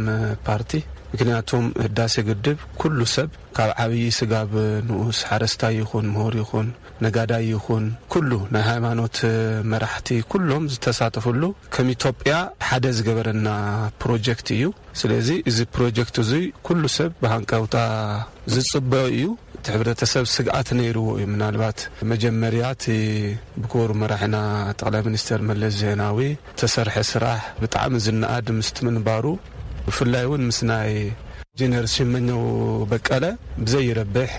ፓርቲ። ምክንያቱም ህዳሴ ግድብ ኩሉ ሰብ ካብ ዓብዪ ስጋብ ንኡስ ሓረስታይ ይኹን ምሁር ይኹን ነጋዳይ ይኹን ኩሉ ናይ ሃይማኖት መራሕቲ ኩሎም ዝተሳተፍሉ ከም ኢትዮጵያ ሓደ ዝገበረና ፕሮጀክት እዩ። ስለዚ እዚ ፕሮጀክት እዚ ኩሉ ሰብ ብሃንቀውታ ዝጽበዮ እዩ። እቲ ሕብረተሰብ ስግኣት ነይርዎ እዩ። ምናልባት መጀመርያ እቲ ብክቡር መራሕና ጠቕላይ ሚኒስተር መለስ ዜናዊ ዝተሰርሐ ስራሕ ብጣዕሚ ዝነኣድ ምስቲ ምንባሩ፣ ብፍላይ እውን ምስ ናይ ኢንጂነር ሽመኘው በቀለ ብዘይረብሕ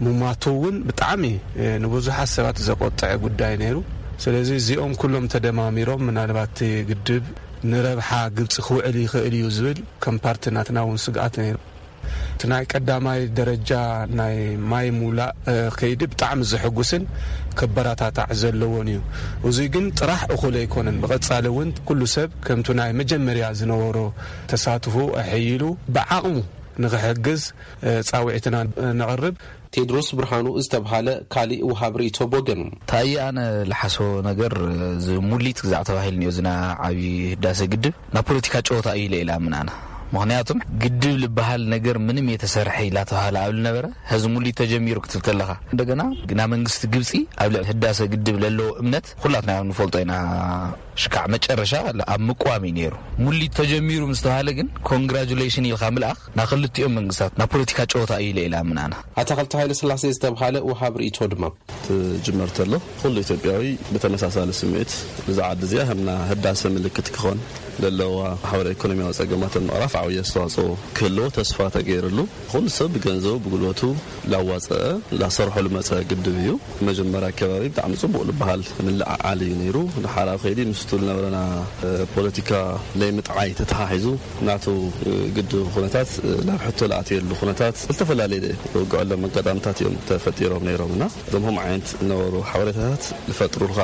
ምሟቱ እውን ብጣዕሚ ንብዙሓት ሰባት ዘቆጠዐ ጉዳይ ነይሩ። ስለዚ እዚኦም ኩሎም ተደማሚሮም ምናልባት እቲ ግድብ ንረብሓ ግብፂ ክውዕል ይኽእል እዩ ዝብል ከም ፓርቲ ናትና እውን ስግኣት ነይሩ። እቲ ናይ ቀዳማይ ደረጃ ናይ ማይ ሙላእ ከይዲ ብጣዕሚ ዘሐጉስን ከበራታታዕ ዘለዎን እዩ። እዚ ግን ጥራሕ እኹል ኣይኮነን። ብቐፃሊ እውን ኩሉ ሰብ ከምቱ ናይ መጀመርያ ዝነበሮ ተሳትፎ ኣሐይሉ ብዓቕሙ ንኽሕግዝ ፃውዒትና ነቕርብ። ቴድሮስ ብርሃኑ ዝተብሃለ ካሊእ ውሃብ ርእይቶ ብወገኑ፣ እንታይ ኣነ ልሓስቦ ነገር፣ እዚ ሙሊት ግዛዕ ተባሂሉ እኒኦ፣ እዚ ናይ ዓብዪ ህዳሰ ግድብ ናብ ፖለቲካ ጨወታ እዩ ኢለ ኢላ ምናና። ምኽንያቱም ግድብ ዝበሃል ነገር ምንም የተሰርሐ ኢላ ተባሃለ ኣብ ልነበረ፣ ሕዚ ሙሊት ተጀሚሩ ክትብል ተለኻ፣ እንደገና ግና መንግስቲ ግብፂ ኣብ ልዕሊ ህዳሰ ግድብ ለለዎ እምነት ኩላትና ንፈልጦ ኢና። ሽካዕ መጨረሻ ኣብ ምቋም እዩ ነይሩ። ሙሊት ተጀሚሩ ምስ ተባሃለ ግን ኮንግራጁሌሽን ኢልካ ምልኣኽ ናብ ክልቲኦም መንግስታት ናብ ፖለቲካ ጨወታ እዩ ኢለ ኢላ ምናና። ኣታኽልቲ ሃይለ ስላሴ ዝተብሃለ ውሃብ ርእይቶ ድማ፣ ትጅመር ተሎ ኩሉ ኢትዮጵያዊ ብተመሳሳሊ ስምዒት እዛ ዓዲ እዚኣ ከምና ህዳሰ ምልክት ክኾን ዘለዋ ማሕበራዊ ኢኮኖሚያዊ ጸገማትን ምቕራፍ ዓብዪ ኣስተዋጽኦ ክህልዎ ተስፋ ተገይርሉ። ኩሉ ሰብ ብገንዘቡ ብጉልበቱ ላዋፀአ ላሰርሖ ልመፀ ግድብ እዩ። መጀመርያ ኣከባቢ ብጣዕሚ ፅቡቅ ልበሃል ምልዓዓል እዩ ነይሩ። ድሓር ኣብ ከይዲ ምስቱ ዝነበረና ፖለቲካ ለይምጥዓይ ተተሓሒዙ ናቱ ግድብ ኩነታት ናብ ሕቶ ልኣትየሉ ኩነታት ዝተፈላለየ ውግዐሎም ኣጋጣምታት እዮም ተፈጢሮም ነይሮም እና እዞም ከም ዓይነት ዝነበሩ ሓበሬታታት ዝፈጥሩልካ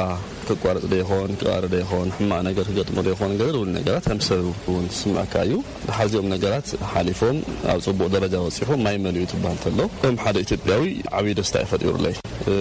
ክቋረፅ ዶ ይኾን ክቃረ ዶ ይኾን ሕማቅ ነገር ክገጥሞ ዶ ይኾን ገለ እውን ነገራት ከም ሰብ እውን ዝስምዐካ እዩ። ድሓር እዚኦም ነገራት ሓሊፎም ኣብ ፅቡቕ ደረጃ በፂሑ ማይ መሊኡ ትበሃል ተሎ ከም ሓደ ኢትዮጵያዊ ዓብዪ ደስታ እዩ ፈጢሩለይ።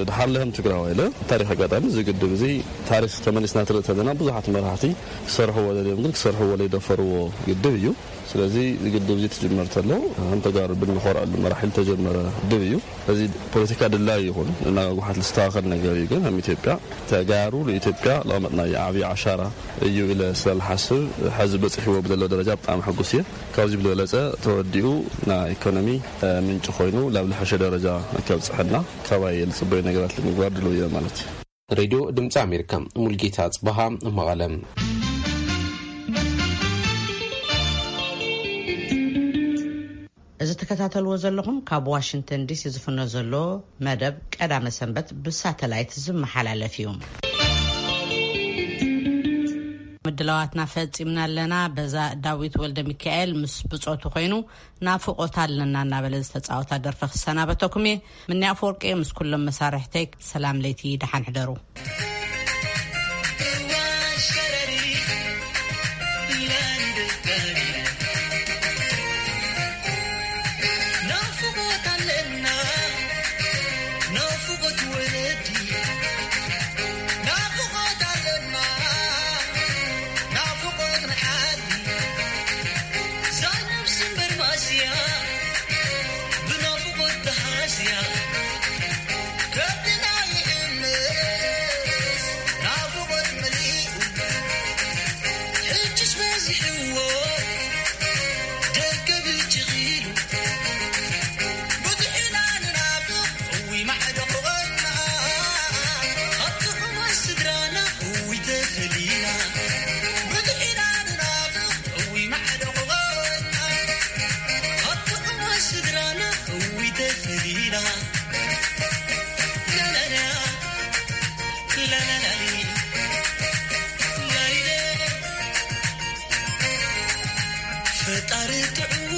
ድሓር ለህም ትግራዋይ ኢለ ታሪክ ኣጋጣሚ እዚ ግድብ እዚ ታሪክ ተመሊስና ትርኢ ተለና ብዙሓት መራሕቲ ክሰርሕዎ ደልዮም ግን ክሰርሕዎ ለይደፈርዎ ግድብ እዩ። ስለዚ እዚ ግድብ እዚ ትጅመር ተሎ ከም ተጋሩ ብንኾርዐሉ መራሒል ተጀመረ ግድብ እዩ። እዚ ፖለቲካ ድላይ ይኹን እናጓሓት ዝስተኻኸል ነገር እዩ ግን ከም ኢትዮጵያ ተጋሩ ንኢትዮጵያ ለቐመጥናዮ ዓብዪ ዓሻራ እዩ ኢለ ስለልሓስብ ሕዚ በፂሕዎ ብዘሎ ደረጃ ብጣዕሚ ሕጉስ እየ። ካብዚ ብዝበለፀ ተወዲኡ ናይ ኢኮኖሚ ምንጪ ኮይኑ ላብ ልሐሸ ደረጃ ከብፅሐና ካባይ ልፅበዩ ነገራት ንምግባር ድልው እየ ማለት እዩ። ሬድዮ ድምፂ ኣሜሪካ፣ ሙልጌታ ጽበሃ፣ መቐለ። እዚ ትከታተልዎ ዘለኹም ካብ ዋሽንግተን ዲሲ ዝፍኖ ዘሎ መደብ ቀዳመ ሰንበት ብሳተላይት ዝመሓላለፍ እዩ። ምድላዋትና ፈጺምና ኣለና። በዛ ዳዊት ወልደ ሚካኤል ምስ ብጾቱ ኮይኑ ናፍቆት ኣለና እናበለ ዝተጻወታ ደርፊ ክሰናበተኩም እየ። ምንያ ኣፈወርቂ ምስ ኩሎም መሳርሕተይ ሰላም ለይቲ፣ ደሓን ሕደሩ። ፈጣሪ ጥዑም